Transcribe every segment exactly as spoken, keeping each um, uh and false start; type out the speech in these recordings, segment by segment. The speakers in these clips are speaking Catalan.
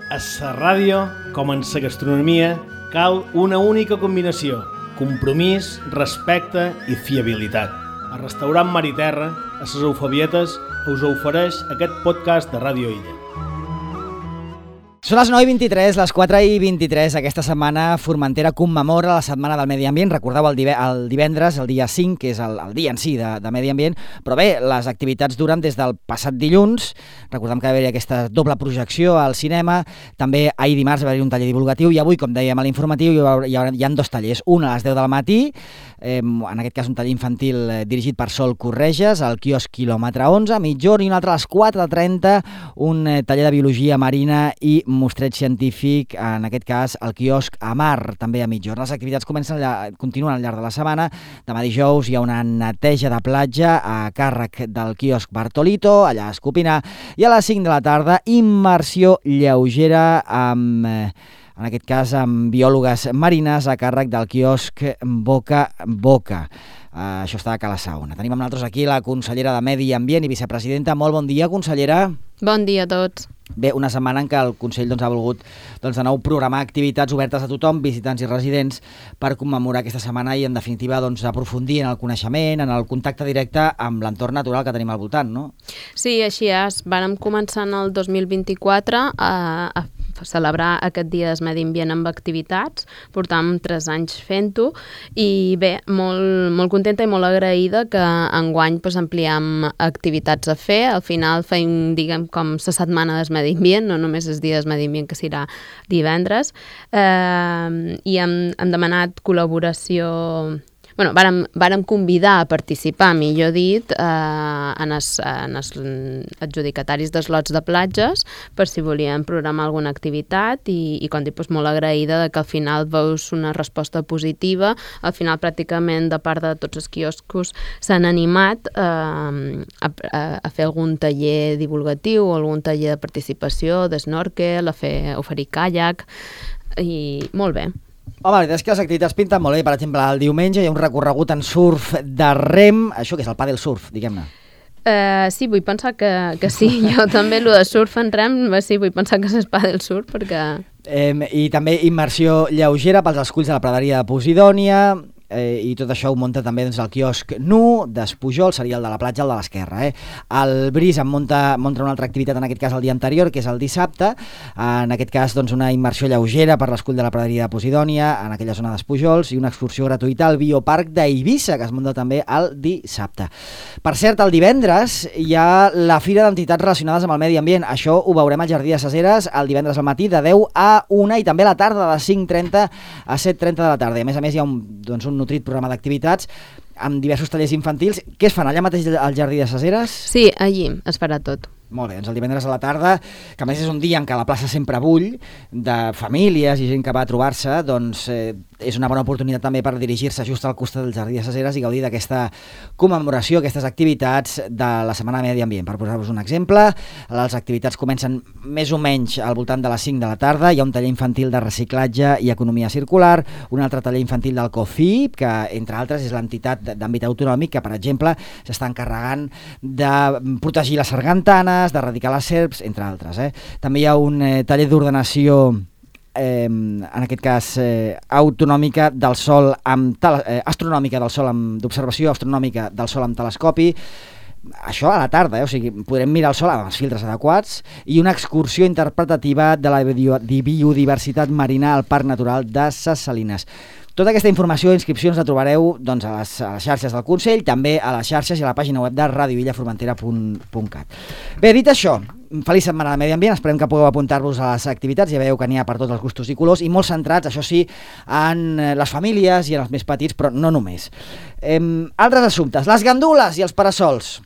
A la ràdio, com en la gastronomia, cal una única combinació: compromís, respecte i fiabilitat. El restaurant Mar i Terra, a les Eufabietes, us ofereix aquest podcast de Ràdio Illa. Són les nou i vint-i-tres, les quatre i vint-i-tres. Aquesta setmana Formentera commemora la Setmana del Medi Ambient. Recordeu el, div el divendres, el dia cinc, que és el, el dia en si de, de Medi Ambient. Però bé, les activitats duren des del passat dilluns. Recordem que va haver-hi aquesta doble projecció al cinema. També ahir dimarts va haver-hi un taller divulgatiu i avui, com dèiem a l'informatiu, hi, ha, hi, ha, hi ha dos tallers. Un a les deu del matí, eh, en aquest cas un taller infantil eh, dirigit per Sol Correges, al quiosc quilòmetre onze, a mitjorn, i un altre a les quatre trenta, un eh, taller de biologia marina i mostreig científic, en aquest cas el quiosc Amar, també a mitjorn. Les activitats comencen allà, continuen al llarg de la setmana. Demà dijous hi ha una neteja de platja a càrrec del quiosc Bartolito, allà a Escopinar, i a les cinc de la tarda immersió lleugera amb, en aquest cas, amb biòlogues marines a càrrec del quiosc Boca Boca. Uh, això està a Cala Saona. Tenim amb nosaltres aquí la consellera de Medi Ambient i vicepresidenta. Molt bon dia, consellera. Bon dia a tots. Bé, una setmana en què el Consell doncs, ha volgut doncs, de nou programar activitats obertes a tothom, visitants i residents, per commemorar aquesta setmana i, en definitiva, doncs, aprofundir en el coneixement, en el contacte directe amb l'entorn natural que tenim al voltant, no? Sí, així és. Vàrem començar en el dos mil vint-i-quatre a, a celebrar aquest dia del Medi Ambient amb activitats. Portàvem tres anys fent-ho i bé, molt, molt contenta i molt agraïda que enguany pues, ampliem activitats a fer. Al final feim, diguem, com la setmana del Medi Ambient, no només els dies Medi Ambient, que serà divendres, eh, i hem, hem demanat col·laboració. Bueno, vàrem, vàrem convidar a participar, millor dit, eh, en, els, en els adjudicataris dels lots de platges per si volien programar alguna activitat i, i com dic, doncs, molt agraïda de que al final veus una resposta positiva. Al final, pràcticament, de part de tots els quioscos s'han animat eh, a, a, a fer algun taller divulgatiu o algun taller de participació, d'snorkel, a fer oferir caiac, i molt bé. Home, la veritat és que les activitats pinten molt bé. Per exemple, el diumenge hi ha un recorregut en surf de rem, això que és el pàdel surf, diguem-ne. Uh, sí, vull pensar que, que sí. Jo també, el de surf en rem, sí, vull pensar que és el pàdel surf, perquè... Eh, I també immersió lleugera pels esculls de la praderia de Posidònia, eh, i tot això ho munta també doncs, el quiosc Nu d'Espujol, seria el de la platja, el de l'esquerra. Eh? El Bris en munta, munta una altra activitat, en aquest cas el dia anterior, que és el dissabte, en aquest cas doncs, una immersió lleugera per l'escull de la praderia de Posidònia, en aquella zona d'Espujols, i una excursió gratuïta al Bioparc d'Eivissa, que es munta també el dissabte. Per cert, el divendres hi ha la Fira d'Entitats Relacionades amb el Medi Ambient. Això ho veurem al Jardí de ses Eres el divendres al matí de deu a una i també a la tarda de cinc trenta a set trenta de la tarda. A més a més hi ha un, doncs, un nutrit programa d'activitats amb diversos tallers infantils. Què es fan allà mateix al Jardí de ses Eres? Sí, allí es farà tot. Molt bé, doncs el divendres a la tarda, que a més és un dia en què la plaça sempre bull de famílies i gent que va a trobar-se, doncs eh, és una bona oportunitat també per dirigir-se just al costat del Jardí de ses Eres i gaudir d'aquesta commemoració, aquestes activitats de la Setmana de Medi Ambient. Per posar-vos un exemple, les activitats comencen més o menys al voltant de les cinc de la tarda. Hi ha un taller infantil de reciclatge i economia circular, un altre taller infantil del COFIP, que entre altres és l'entitat d'àmbit autonòmic que, per exemple, s'està encarregant de protegir les sargantanes, d'erradicar les serps, entre altres. Eh? També hi ha un eh, taller d'ordenació, eh, en aquest cas eh, autonòmica del sol amb eh, astronòmica del sol amb d'observació astronòmica del sol amb telescopi. Això a la tarda, eh? O sigui, podrem mirar el sol amb els filtres adequats, i una excursió interpretativa de la biodiversitat marina al Parc Natural de ses Salines. Tota aquesta informació i inscripcions la trobareu doncs, a, les, a les xarxes del Consell, també a les xarxes i a la pàgina web de radio illa formentera punt cat. Bé, dit això, feliç setmana de Medi Ambient, esperem que pugueu apuntar-vos a les activitats, ja veieu que n'hi ha per tots els gustos i colors, i molt centrats, això sí, en les famílies i en els més petits, però no només. Eh, altres assumptes, les gandules i els parasols.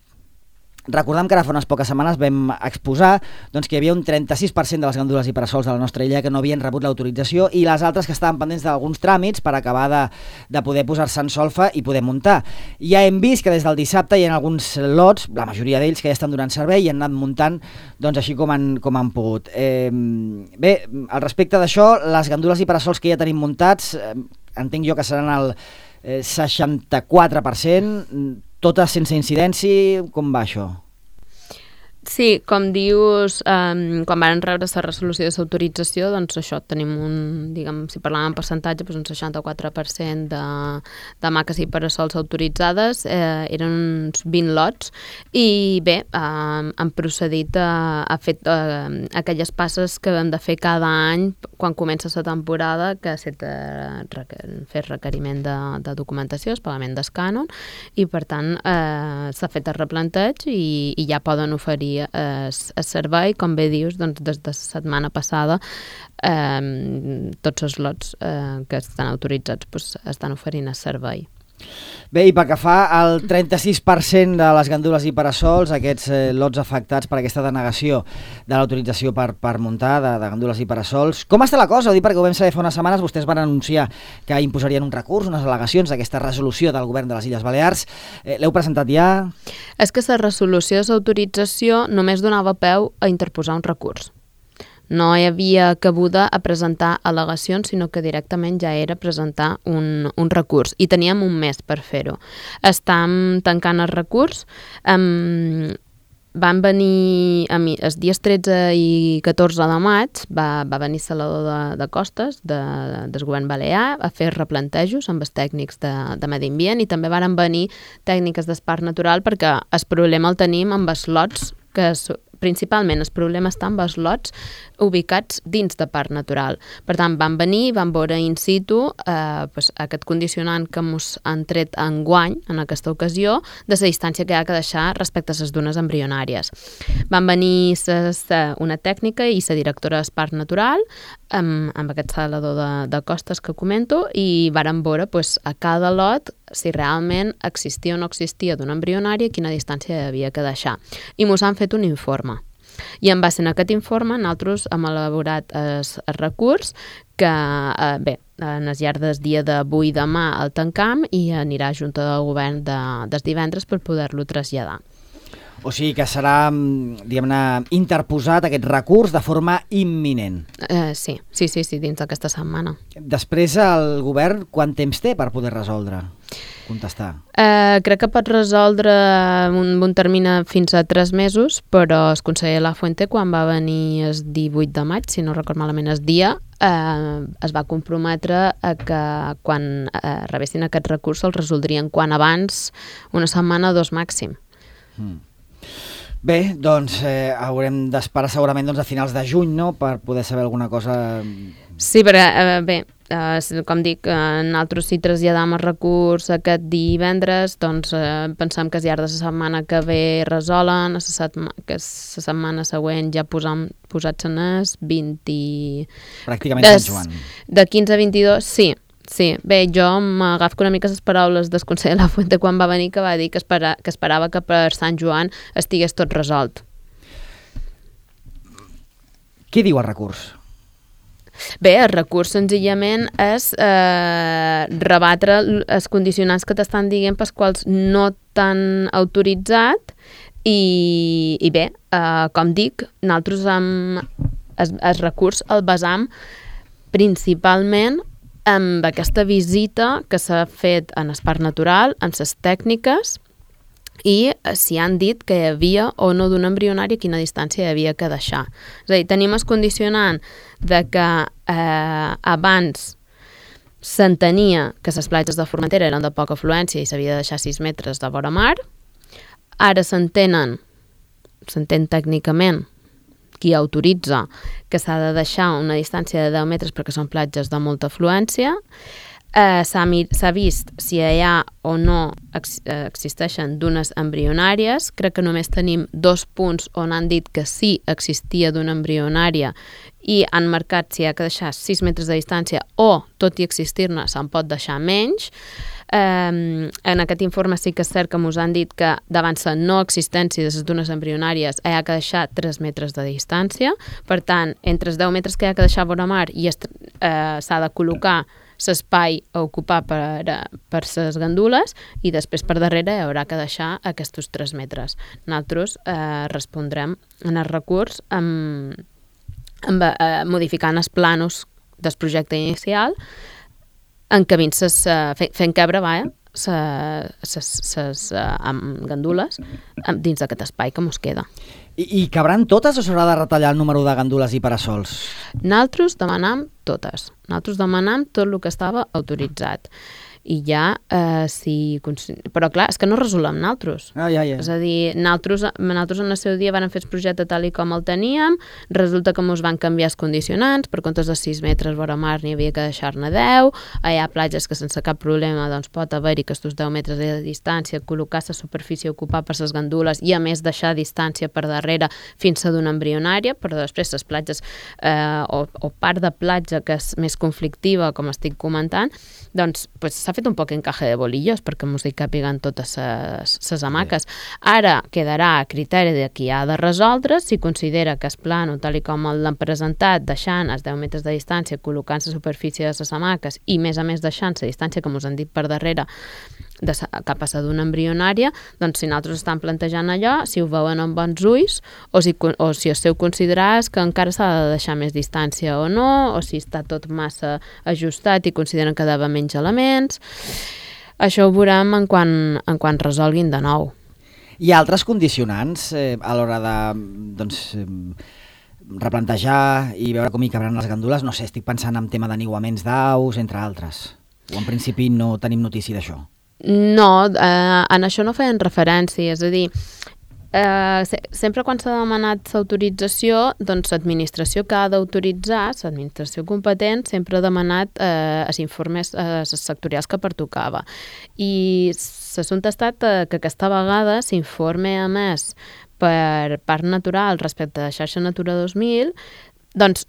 Recordem que ara fa unes poques setmanes vam exposar doncs, que hi havia un trenta-sis per cent de les gandules i parasols de la nostra illa que no havien rebut l'autorització, i les altres que estaven pendents d'alguns tràmits per acabar de, de poder posar-se en solfa i poder muntar. Ja hem vist que des del dissabte hi ha alguns lots, la majoria d'ells, que ja estan donant servei i han anat muntant doncs, així com han, com han pogut. Eh, bé, al respecte d'això, les gandules i parasols que ja tenim muntats, eh, entenc jo que seran el eh, seixanta-quatre per cent, totes sense incidència. Com va això? Sí, com dius, um, quan van rebre la resolució de l'autorització, doncs això, tenim un, diguem, si parlàvem en percentatge, doncs un seixanta-quatre per cent de, de maques i parasols autoritzades, eh, eren uns vint lots, i bé, eh, han procedit a, a fer eh, aquelles passes que hem de fer cada any quan comença la temporada, que ha estat eh, fer requeriment de, de documentació, el pagament d'escànon, i per tant eh, s'ha fet el replanteig i, i ja poden oferir el servei, com bé dius, doncs des de la setmana passada eh, tots els lots eh, que estan autoritzats doncs, estan oferint el servei. Bé, i pel que fa al trenta-sis per cent de les gandules i parasols, aquests eh, lots afectats per aquesta denegació de l'autorització per, per muntar de, de gandules i parasols, com està la cosa? Ho dic perquè ho vam saber fa unes setmanes, vostès van anunciar que imposarien un recurs, unes al·legacions d'aquesta resolució del govern de les Illes Balears. Eh, L'heu presentat ja? És que la resolució de l'autorització només donava peu a interposar un recurs. No hi havia cabuda a presentar al·legacions, sinó que directament ja era presentar un, un recurs. I teníem un mes per fer-ho. Estam tancant el recurs. Um, van venir, a mi, els dies tretze i catorze de maig, va, va venir Salvador de, de Costes, de, del govern balear, a fer replantejos amb els tècnics de, de medi ambient, i també varen venir tècniques d'Esparc Natural, perquè el problema el tenim amb els lots que principalment el problema està amb els lots ubicats dins de parc natural. Per tant, van venir, van veure in situ eh, pues, aquest condicionant que ens han tret enguany, en aquesta ocasió, de la distància que hi ha que deixar respecte a les dunes embrionàries. Van venir ses, una tècnica i la directora del parc natural, amb, amb aquest Salvador de, de Costes que comento, i varen veure pues, a cada lot si realment existia o no existia d'una embrionària, quina distància hi havia que deixar. I mos han fet un informe. I en base a aquest informe, nosaltres hem elaborat el, el recurs que, eh, bé, en el llarg del dia d'avui i demà el tancam i anirà a Junta del Govern de, des divendres per poder-lo traslladar. O sigui que serà, diguem-ne, interposat aquest recurs de forma imminent. Eh, sí, sí, sí, sí, dins d'aquesta setmana. Després el govern quant temps té per poder resoldre, contestar? Eh, crec que pot resoldre un, un termini fins a tres mesos, però el conseller Lafuente, quan va venir el divuit de maig, si no record malament el dia, eh, es va comprometre a que quan eh, rebessin aquest recurs el resoldrien quan abans, una setmana o dos màxim. Mm. Bé, doncs eh, haurem d'esperar segurament doncs, a finals de juny, no?, per poder saber alguna cosa. Sí, perquè, eh, bé, eh, com dic, eh, nosaltres si traslladam el recurs aquest divendres, doncs eh, pensem que al llarg de la setmana que ve resolen, a setma, que la setmana següent ja posam, posats en es vint... Pràcticament Sant Joan. De quinze a vint-i-dos, sí. Sí, bé, jo m'agafo una mica les paraules del conseller Lafuente quan va venir, que va dir que, espera, que esperava que per Sant Joan estigués tot resolt. Qui diu el recurs? Bé, el recurs senzillament és eh, rebatre els condicionants que t'estan dient pels quals no t'han autoritzat i, i bé, eh, com dic, nosaltres amb el, el recurs el basam principalment amb aquesta visita que s'ha fet en el parc natural, en les tècniques, i si han dit que hi havia o no d'una embrionària, quina distància hi havia que deixar. És a dir, tenim el condicionant de que eh, abans s'entenia que les platges de Formentera eren de poca afluència i s'havia de deixar sis metres de vora mar. Ara s'entenen, s'entén tècnicament, qui autoritza que s'ha de deixar una distància de deu metres perquè són platges de molta afluència. Eh, s'ha vist si hi ha o no ex existeixen dunes embrionàries. Crec que només tenim dos punts on han dit que sí existia d'una embrionària i han marcat si hi ha que deixar sis metres de distància o, tot i existir-ne, se'n pot deixar menys. Eh, en aquest informe sí que és cert que ens han dit que davant la no existència de les dunes embrionàries hi ha que deixar tres metres de distància. Per tant, entre els deu metres que hi ha que deixar a vora mar i eh, s'ha de col·locar l'espai a ocupar per, per les gandules i després per darrere hi haurà que deixar aquests tres metres. Nosaltres eh, respondrem en el recurs amb, amb, eh, modificant els planos del projecte inicial, encabint ses, uh, fent, fent cabre, vaja, ses, ses uh, gandules dins d'aquest espai que mos queda. I, I cabran totes o s'haurà de retallar el número de gandules i parasols? Nosaltres demanam totes. Nosaltres demanam tot el que estava autoritzat. I ja, eh, si... Però clar, és que no resolem nosaltres. Ah, ja, ja. És a dir, nosaltres, nosaltres en el seu dia vam fer el projecte tal i com el teníem, resulta que ens van canviar els condicionants, per comptes de sis metres vora mar n'hi havia que deixar-ne deu, hi ha platges que sense cap problema doncs, pot haver-hi aquests deu metres de distància, col·locar la superfície ocupada per les gandules i a més deixar distància per darrere fins a d'una embrionària, però després les platges eh, o, o part de platja que és més conflictiva, com estic comentant, doncs pues, s'ha fet un poc encaje de bolillos perquè mos hi càpiguen totes les hamaques. Ara quedarà a criteri de qui ha de resoldre si considera que es plano tal i com l'han presentat, deixant els deu metres de distància, col·locant la superfície de les hamaques i més a més deixant la distància que mos han dit per darrere de sa, cap a la d'una embrionària, doncs si nosaltres estan plantejant allò, si ho veuen amb bons ulls o si, o si el seu considerar que encara s'ha de deixar més distància o no, o si està tot massa ajustat i consideren que ha d'haver menys elements. Això ho veurem en quan, en quan resolguin de nou. Hi ha altres condicionants eh, a l'hora de doncs, eh, replantejar i veure com hi cabran les gandules? No sé, estic pensant en tema d'aniguaments d'aus, entre altres. O en principi no tenim notícia d'això? No, eh, en això no feien referència, és a dir, eh, se, sempre quan s'ha demanat l'autorització, doncs l'administració que ha d'autoritzar, l'administració competent, sempre ha demanat eh, els informes eh, sectorials que pertocava. I l'assumpte ha estat eh, que aquesta vegada s'informe a més per Parc Natural respecte a xarxa Natura dos mil, doncs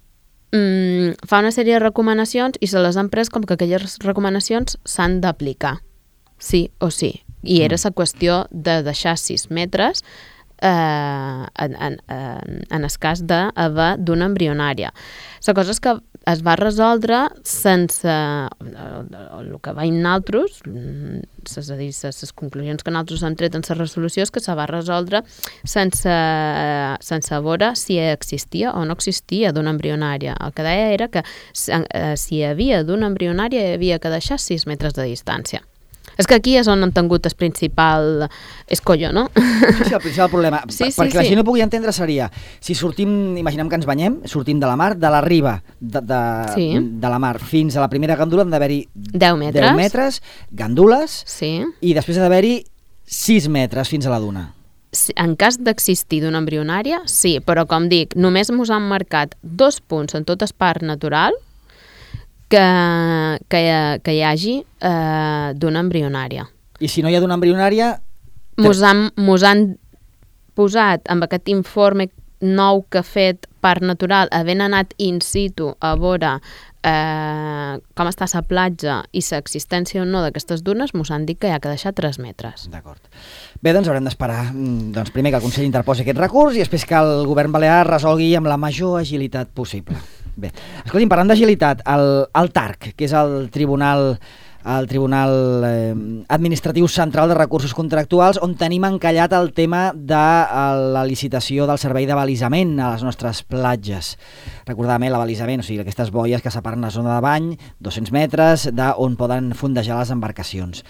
mm, fa una sèrie de recomanacions i se les han pres com que aquelles recomanacions s'han d'aplicar. Sí o sí. I era la qüestió de deixar sis metres eh, en, en, en el cas d'haver d'una embrionària. La cosa és que es va resoldre sense el que veiem nosaltres, és a dir, les conclusions que nosaltres hem tret en la resolució és que se va resoldre sense, sense veure si existia o no existia d'una embrionària. El que deia era que si hi havia d'una embrionària hi havia que deixar sis metres de distància. És que aquí és on han tingut el principal escollo, no? Sí, sí, el principal problema. Sí, sí, perquè la sí. gent no pugui entendre seria, si sortim, imaginem que ens banyem, sortim de la mar, de la riba de, de, sí. de la mar fins a la primera gandula han d'haver-hi deu metres. deu metres, gandules, sí. I després ha d'haver-hi sis metres fins a la duna. En cas d'existir d'una embrionària, sí, però com dic, només ens han marcat dos punts en tot el parc natural que, que, que hi hagi eh, d'una embrionària. I si no hi ha d'una embrionària... Mos han, mos han posat amb aquest informe nou que ha fet Parc Natural, havent anat in situ a veure eh, com està la platja i l'existència o no d'aquestes dunes, mos han dit que hi ha que deixar tres metres. D'acord. Bé, doncs haurem d'esperar doncs, primer que el Consell interposi aquest recurs i després que el govern balear resolgui amb la major agilitat possible. Bé, escolti'm, parlant d'agilitat, el, el T A R C, que és el Tribunal, el Tribunal eh, Administratiu Central de Recursos Contractuals, on tenim encallat el tema de la licitació del servei de balisament a les nostres platges. Recordàvem, eh, l'abalisament, o sigui, aquestes boies que separen la zona de bany, dos-cents metres, d'on poden fondejar les embarcacions.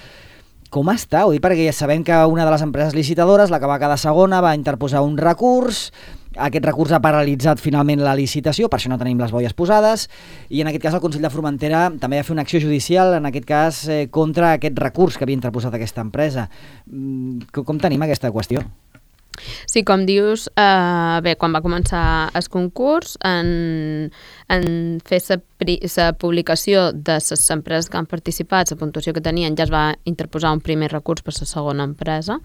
Com està? Ho dic perquè ja sabem que una de les empreses licitadores, la que va quedar segona, va interposar un recurs. Aquest recurs ha paralitzat finalment la licitació, per això no tenim les boies posades, i en aquest cas el Consell de Formentera també va fer una acció judicial, en aquest cas eh, contra aquest recurs que havia interposat aquesta empresa. Mm, com tenim aquesta qüestió? Sí, com dius, eh, bé, quan va començar el concurs, en, en fer la publicació de les empreses que han participat, la puntuació que tenien, ja es va interposar un primer recurs per la segona empresa.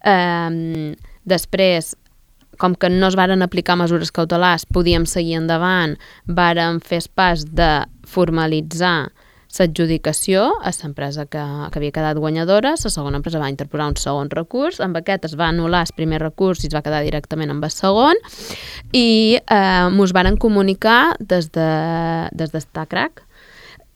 Eh, després, com que no es varen aplicar mesures cautelars, podíem seguir endavant, varen fer el pas de formalitzar l'adjudicació a l'empresa que, que havia quedat guanyadora. La segona empresa va interposar un segon recurs, amb aquest es va anul·lar el primer recurs i es va quedar directament amb el segon, i eh, mos varen comunicar des de, des de Stacrac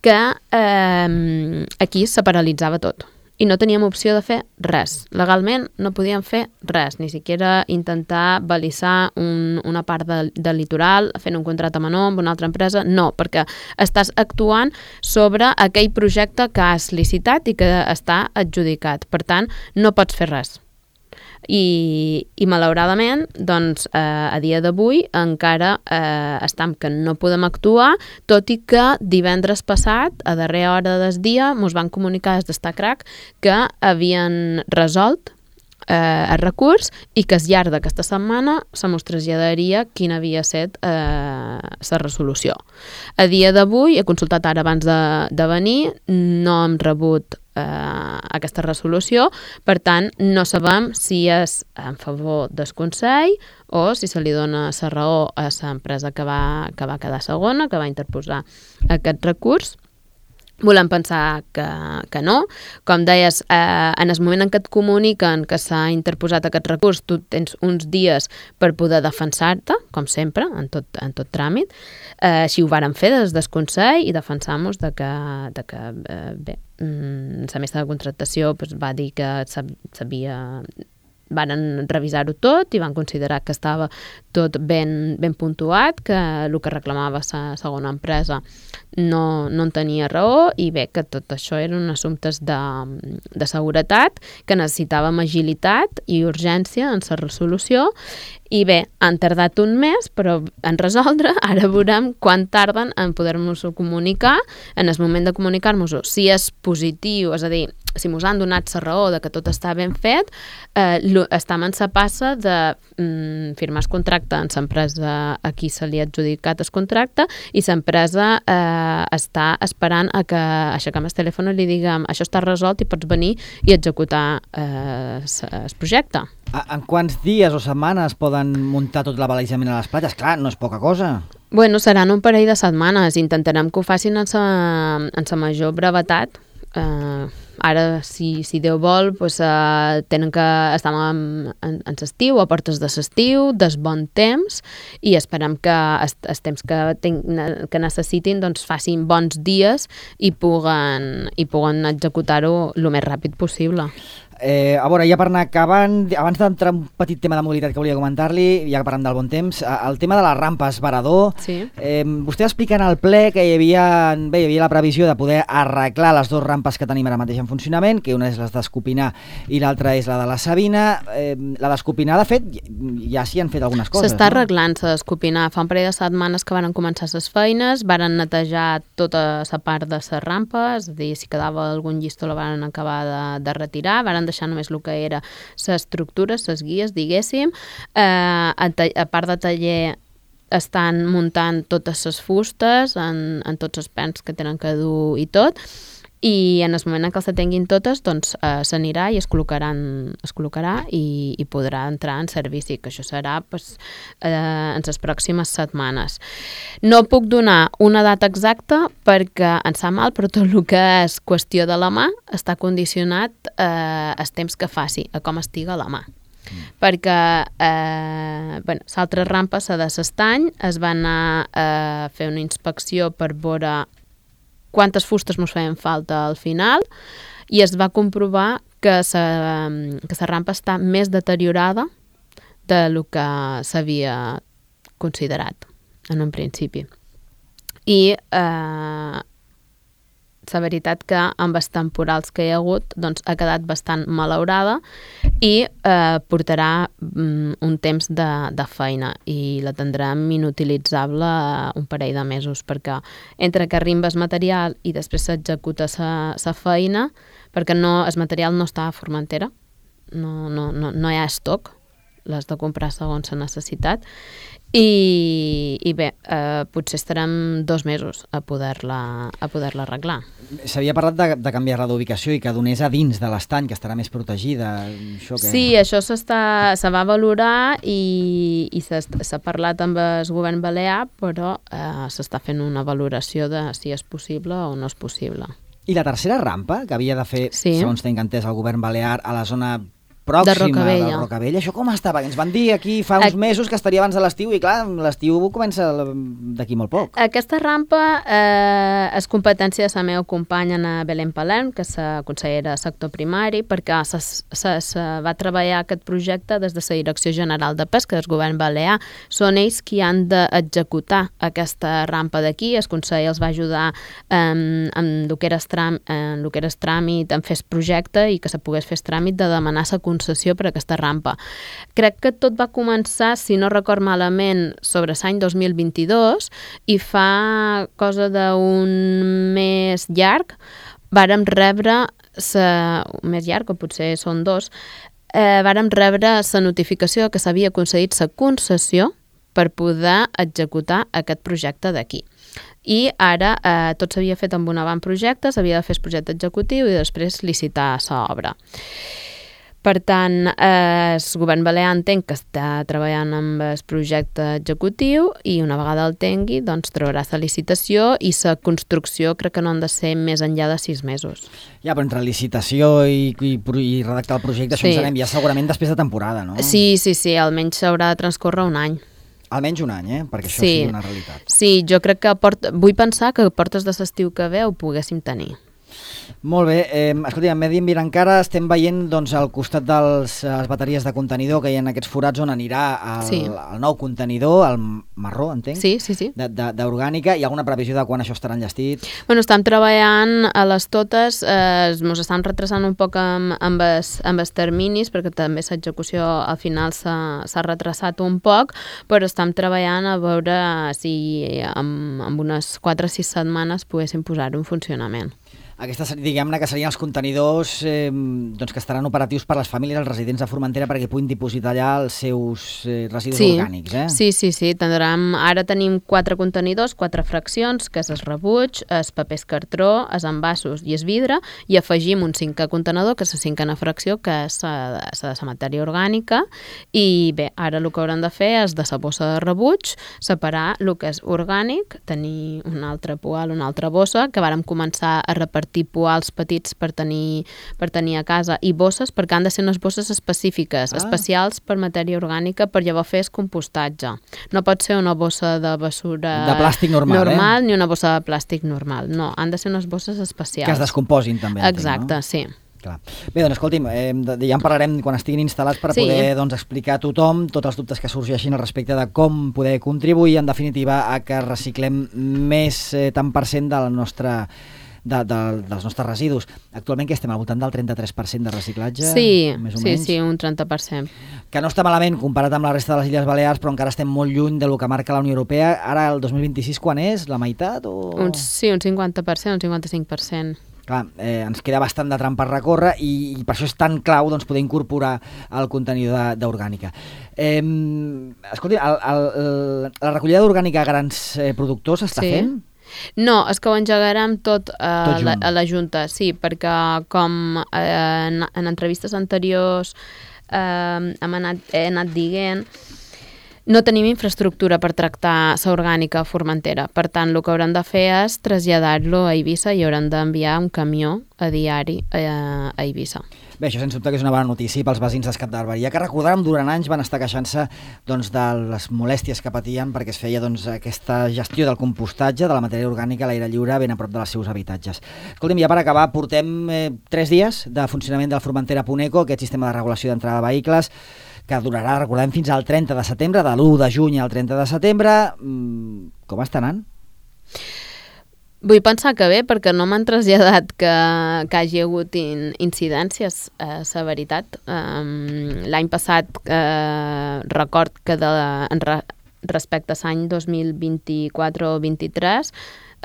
que eh, aquí se paralitzava tot i no teníem opció de fer res. Legalment no podíem fer res, ni siquiera intentar balisar un, una part de, del litoral fent un contracte menor amb una altra empresa, no, perquè estàs actuant sobre aquell projecte que has licitat i que està adjudicat. Per tant, no pots fer res. I, i malauradament, doncs, eh, a dia d'avui encara eh, estem que no podem actuar, tot i que divendres passat, a darrera hora del dia, ens van comunicar des d'Estacrac que havien resolt eh, el recurs i que al llarg d'aquesta setmana se mos traslladaria quina havia estat eh, la resolució. A dia d'avui, he consultat ara abans de, de venir, no hem rebut eh, aquesta resolució, per tant, no sabem si és en favor del Consell o si se li dona la raó a l'empresa que va, que va quedar segona, que va interposar aquest recurs. Volem pensar que, que no. Com deies, eh, en el moment en què et comuniquen que s'ha interposat aquest recurs, tu tens uns dies per poder defensar-te, com sempre, en tot, en tot tràmit. Eh, així ho vàrem fer des del Consell i defensar-nos de que, de que eh, bé, la mesa de contractació pues, va dir que s'havia... Van revisar-ho tot i van considerar que estava tot ben, ben puntuat, que el que reclamava la segona empresa no, no en tenia raó i bé, que tot això eren assumptes de, de seguretat, que necessitàvem agilitat i urgència en la resolució i bé, han tardat un mes però en resoldre, ara veurem quan tarden en poder-nos-ho comunicar, en el moment de comunicar-nos-ho, si és positiu, és a dir, si mos han donat la raó de que tot està ben fet, eh, estem en la passa de mm, firmar el contracte amb l'empresa a qui se li ha adjudicat el contracte i l'empresa eh, està esperant a que aixequem el telèfon i li diguem això està resolt i pots venir i executar eh, el projecte. En quants dies o setmanes poden muntar tot l'abalisament a les platges? Clar, no és poca cosa. Bueno, seran un parell de setmanes. Intentarem que ho facin en sa, en sa major brevetat. Uh, ara, si, si Déu vol, pues, uh, tenen que estar en, en, en l'estiu, a portes de l'estiu, des bon temps, i esperem que els, els temps que, ten, que necessitin doncs, facin bons dies i puguen, i puguen executar-ho el més ràpid possible. Eh, a veure, ja per anar acabant, abans d'entrar un petit tema de mobilitat que volia comentar-li, ja que parlem del bon temps, el tema de les rampes Varador, sí. eh, vostè va explicar en el ple que hi havia, bé, hi havia la previsió de poder arreglar les dues rampes que tenim ara mateix en funcionament, que una és la d'Escopinar i l'altra és la de la Sabina. Eh, la d'Escopinar, de fet, ja s'hi han fet algunes coses. S'està no? arreglant la d'Escopinar. Fa un parell de setmanes que van començar les feines, varen netejar tota la part de les rampes, és a dir, si quedava algun llistó la van acabar de, de retirar, varen deixar només el que era l'estructura, les guies, diguéssim. Eh, a, a part de taller estan muntant totes les fustes en, en tots els pens que tenen que dur i tot, i en el moment en què els tinguin totes doncs eh, s'anirà i es col·locaran, es col·locarà i, i podrà entrar en servici, que això serà pues, eh, en les pròximes setmanes. No puc donar una data exacta perquè em sap mal, però tot el que és qüestió de la mà està condicionat eh, el temps que faci, a com estiga la mà. Mm. Perquè eh, bueno, l'altra rampa, la de l'Estany, es va anar a eh, fer una inspecció per veure quantes fustes ens feien falta al final i es va comprovar que la que la rampa està més deteriorada de lo que s'havia considerat en un principi. I eh, la veritat que amb els temporals que hi ha hagut doncs, ha quedat bastant malaurada i eh, portarà mm, un temps de, de feina i la tindrem inutilitzable un parell de mesos perquè entre que arriba el material i després s'executa la feina, perquè no, el material no està a Formentera, no, no, no, no hi ha estoc, l'has de comprar segons la necessitat. I, i bé, eh, potser estarem dos mesos a poder-la a poder-la arreglar. S'havia parlat de, de canviar-la d'ubicació i que donés a dins de l'estany, que estarà més protegida. Això que... Sí, això s'està, se va valorar i, i s'ha parlat amb el govern balear, però eh, s'està fent una valoració de si és possible o no és possible. I la tercera rampa, que havia de fer, sí. segons tenc entès, el govern balear a la zona pròxima de Rocavella. de Rocavella, això com estava? Ens van dir aquí fa uns mesos que estaria abans de l'estiu i clar, l'estiu comença d'aquí molt poc. Aquesta rampa eh, és competència de la meva companya Ana Belén Palerm, que és la consellera de sector primari, perquè se, se, se va treballar aquest projecte des de la Direcció General de Pesca del govern balear. Són ells qui han d'executar aquesta rampa d'aquí. El Consell els va ajudar en, en el que era el tràmit, en fer el projecte i que se pogués fer el tràmit de demanar la concessió per aquesta rampa. Crec que tot va començar, si no record malament, sobre l'any dos mil vint-i-dos, i fa cosa d'un mes llarg vàrem rebre, sa, un mes llarg, o potser són dos, eh, vàrem rebre la notificació que s'havia concedit la concessió per poder executar aquest projecte d'aquí. I ara eh, tot s'havia fet amb un avantprojecte, s'havia de fer el projecte executiu i després licitar l'obra. Per tant, eh, el govern balear entenc que està treballant amb el projecte executiu i una vegada el tingui, doncs traurà la licitació i la construcció crec que no han de ser més enllà de sis mesos. Ja, però entre licitació i, i, i redactar el projecte, Sí. això en sabem ja segurament després de temporada, no? Sí, sí, sí, almenys s'haurà de transcórrer un any. Almenys un any, eh? Perquè això Sí. sigui una realitat. Sí, jo crec que port... vull pensar que portes de l'estiu que ve ho poguéssim tenir. Molt bé, eh, escolta, a Medi Ambient encara estem veient doncs, al costat de les bateries de contenidor que hi ha en aquests forats on anirà el, Sí. el nou contenidor, el marró, entenc? Sí, sí, sí. D'orgànica. Hi ha alguna previsió de quan això estarà enllestit? Bueno, estem treballant a les totes, eh, ens estan retrasant un poc amb, amb, els, amb els terminis, perquè també l'execució al final s'ha retrasat un poc, però estem treballant a veure si amb, amb unes quatre o sis setmanes poguéssim posar-ho en funcionament. Aquestes, diguem-ne, que serien els contenidors eh, doncs que estaran operatius per les famílies, els residents de Formentera, perquè puguin dipositar allà els seus eh, residus sí. orgànics, eh? Sí, sí, sí. Tindrem, ara tenim quatre contenidors, quatre fraccions, que és el rebuig, els papers cartró, els envasos i el vidre, i afegim un cinquè contenidor, que és la cinquena fracció, que és la de la matèria orgànica, i bé, ara el que haurem de fer és de la bossa de rebuig, separar el que és orgànic, tenir una altra poal, una altra bossa, que vàrem començar a repartir poals petits per tenir, per tenir a casa, i bosses, perquè han de ser unes bosses específiques, ah. especials per matèria orgànica, per llavors fer el compostatge. No pot ser una bossa de bessura de plàstic normal, normal eh? ni una bossa de plàstic normal. No, han de ser unes bosses especials. Que es descomposin també. Exacte, entenc, no? sí. Clar. Bé, doncs escolti'm, eh, ja en parlarem quan estiguin instal·lats per Sí. poder doncs, explicar a tothom tots els dubtes que sorgeixin al respecte de com poder contribuir, en definitiva, a que reciclem més eh, tant per cent del nostre De, de, dels nostres residus. Actualment que estem al voltant del trenta-tres per cent de reciclatge, Sí, més o sí, menys. sí, un trenta per cent. Que no està malament comparat amb la resta de les Illes Balears, però encara estem molt lluny de lo que marca la Unió Europea. Ara, el dos mil vint-i-sis, quan és? La meitat? O... Un, sí, un cinquanta per cent, un cinquanta-cinc per cent. Clar, eh, ens queda bastant de tram per recórrer i, i per això és tan clau doncs, poder incorporar el contenidor d'orgànica. Eh, escolti, el, el, el, la recollida d'orgànica a grans eh, productors s'està Sí. fent? No, és que ho engegarem tot, eh, Tot la, junt. a la Junta, sí, perquè com eh, en, en entrevistes anteriors eh, hem anat, he anat dient, no tenim infraestructura per tractar la orgànica a Formentera. Per tant, el que haurem de fer és traslladar-lo a Eivissa i haurem d'enviar un camió a diari a, a Eivissa. Bé, això sense dubte que és una bona notícia pels veïns d'Escat de Barberia, que recordàrem durant anys van estar queixant-se doncs, de les molèsties que patien perquè es feia doncs, aquesta gestió del compostatge de la matèria orgànica a l'aire lliure ben a prop dels seus habitatges. Escolta'm, ja per acabar, portem eh, tres dies de funcionament del Formentera Puneco, aquest sistema de regulació d'entrada de vehicles, que durarà, recordem, fins al trenta de setembre, de l'u de juny al trenta de setembre. Mm, com està anant? Vull pensar que bé, perquè no m'han traslladat que, que hagi hagut in, incidències, eh, la veritat. Um, L'any passat eh, record que de, en re, respecte a l'any dos mil vint-i-quatre o vint-i-tres,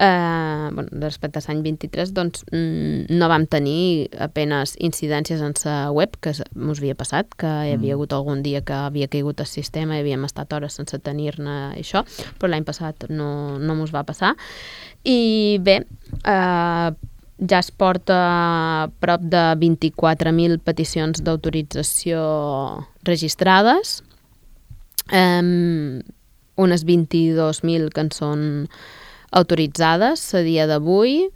eh, bueno, respecte a l'any vint-i-tres, doncs mm, no vam tenir apenes incidències en la web, que ens havia passat, que hi havia hagut algun dia que havia caigut el sistema i havíem estat hores sense tenir-ne això, però l'any passat no, no mos va passar. I bé, eh, ja es porta prop de vint-i-quatre mil peticions d'autorització registrades, eh, unes vint-i-dos mil que en són autoritzades a dia d'avui.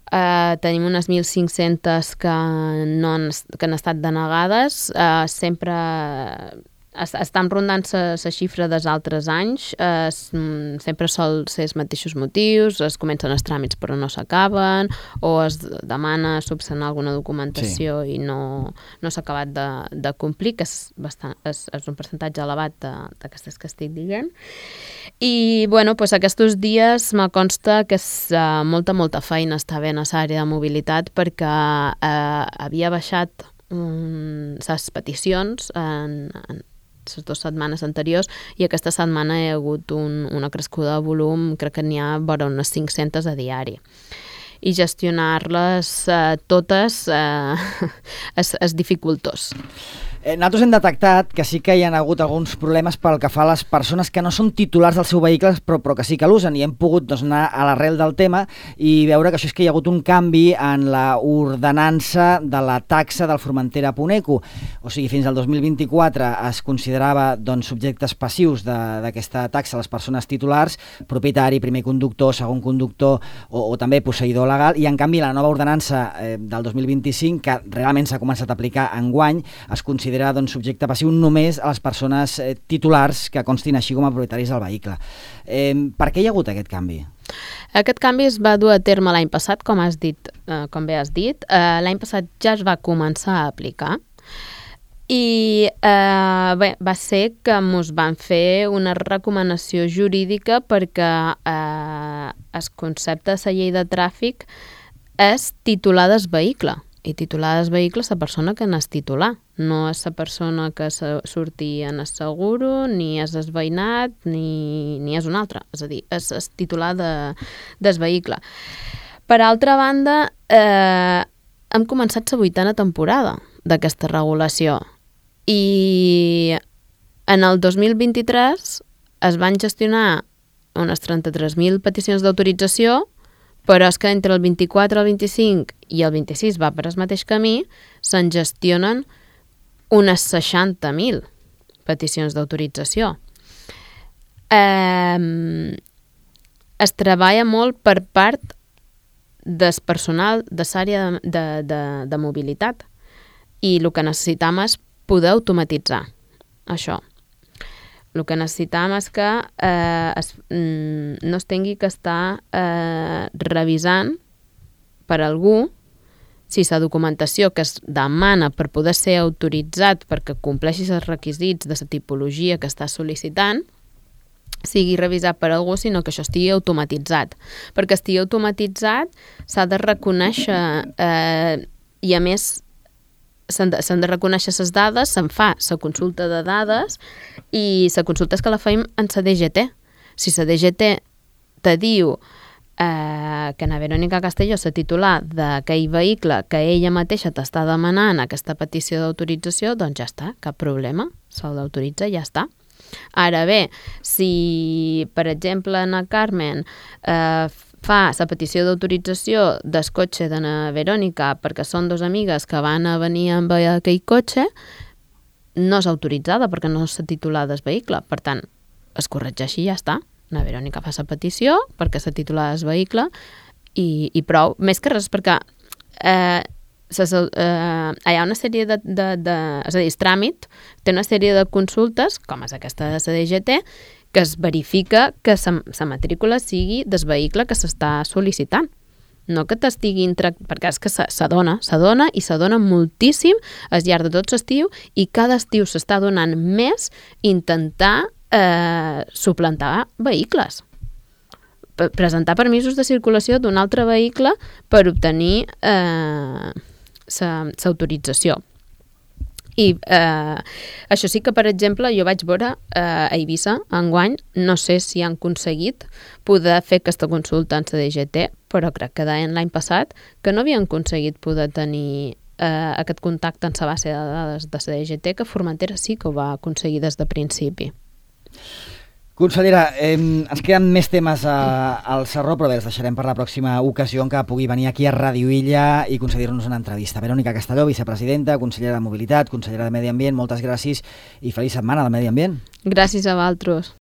Uh, tenim unes mil cinc-centes que, no han, que han estat denegades. Uh, sempre es, estan rondant la xifra dels altres anys. Uh, sempre sol ser els mateixos motius, es comencen els tràmits però no s'acaben, o es demana subsanar alguna documentació sí. i no, no s'ha acabat de, de complir, que és, bastant, és, és un percentatge elevat d'aquestes que estic dient. I bueno, pues aquests dies me consta que és uh, molta, molta feina està bé en l'àrea de mobilitat, perquè uh, havia baixat um, les peticions en, en les dues setmanes anteriors, i aquesta setmana hi ha hagut un, una crescuda de volum, crec que n'hi ha vora unes cinc-centes a diari. I gestionar-les eh, totes eh, és, és dificultós. Eh, nosaltres hem detectat que sí que hi ha hagut alguns problemes pel que fa a les persones que no són titulars del seu vehicle, però, però que sí que l'usen, i hem pogut doncs, anar a l'arrel del tema i veure que això és que hi ha hagut un canvi en la ordenança de la taxa del Formentera Puneco. O sigui, fins al dos mil vint-i-quatre es considerava doncs, subjectes passius d'aquesta taxa les persones titulars, propietari, primer conductor, segon conductor o, o també posseïdor legal, i en canvi la nova ordenança eh, del dos mil vint-i-cinc, que realment s'ha començat a aplicar enguany, es considera doncs, subjecte passiu només a les persones eh, titulars que constin així com a propietaris del vehicle. Eh, per què hi ha hagut aquest canvi? Aquest canvi es va dur a terme l'any passat, com has dit, eh, com bé has dit. Eh, l'any passat ja es va començar a aplicar i eh, bé, va ser que ens van fer una recomanació jurídica perquè eh, el concepte de la llei de tràfic és titular del vehicle. I titular del vehicle és la persona que n'és titular, no és la persona que surti en el seguro, ni és el veïnat, ni, ni és un altre. És a dir, és el titular de, del vehicle. Per altra banda, eh, hem començat la vuitena temporada d'aquesta regulació i en el dos mil vint-i-tres es van gestionar unes trenta-tres mil peticions d'autorització, però és que entre el vint-i-quatre, el vint-i-cinc i el vint-i-sis va per el mateix camí, se'n gestionen unes seixanta mil peticions d'autorització. Eh, es treballa molt per part del personal de l'àrea de, de, de, de mobilitat i el que necessitam és poder automatitzar això. El que necessitam és que eh, es, mm, no es tingui que estar eh, revisant per algú si la documentació que es demana per poder ser autoritzat perquè compleixi els requisits de la tipologia que està sol·licitant sigui revisat per algú, sinó que això estigui automatitzat. Perquè estigui automatitzat s'ha de reconèixer eh, i a més s'han de, s'han de reconèixer les dades, se'n fa la consulta de dades i la consulta és que la fem en la D G T. Si la D G T te diu eh, que na Verònica Castelló, la titular d'aquell vehicle que ella mateixa t'està demanant aquesta petició d'autorització, doncs ja està, cap problema, se'l d'autoritza i ja està. Ara bé, si, per exemple, na Carmen eh, fa la petició d'autorització del cotxe de na Verònica perquè són dues amigues que van a venir amb aquell cotxe, no és autoritzada perquè no és la titular del vehicle. Per tant, es corregeix i ja està. Na Verònica fa la petició perquè és la titular del vehicle i, i prou. Més que res perquè eh, ses, eh, hi ha una sèrie de, de, de... És a dir, el tràmit té una sèrie de consultes, com és aquesta de la D G T, que es verifica que la matrícula sigui del vehicle que s'està sol·licitant. No que t'estiguin... perquè és que s'adona, s'adona i s'adona moltíssim al llarg de tot l'estiu i cada estiu s'està donant més intentar eh, suplantar vehicles. Presentar permisos de circulació d'un altre vehicle per obtenir eh, l'autorització. I eh, això sí que, per exemple, jo vaig veure eh, a Eivissa, enguany, no sé si han aconseguit poder fer aquesta consulta en la D G T, però crec que deien l'any passat que no havien aconseguit poder tenir eh, aquest contacte en la base de dades de la D G T, que Formentera sí que ho va aconseguir des de principi. Consellera, eh, ens queden més temes a, al Sarró, però bé, els deixarem per la pròxima ocasió en què pugui venir aquí a Ràdio Illa i concedir-nos una entrevista. Verònica Castelló, vicepresidenta, consellera de Mobilitat, consellera de Medi Ambient, moltes gràcies i feliç setmana del Medi Ambient. Gràcies a vosaltres.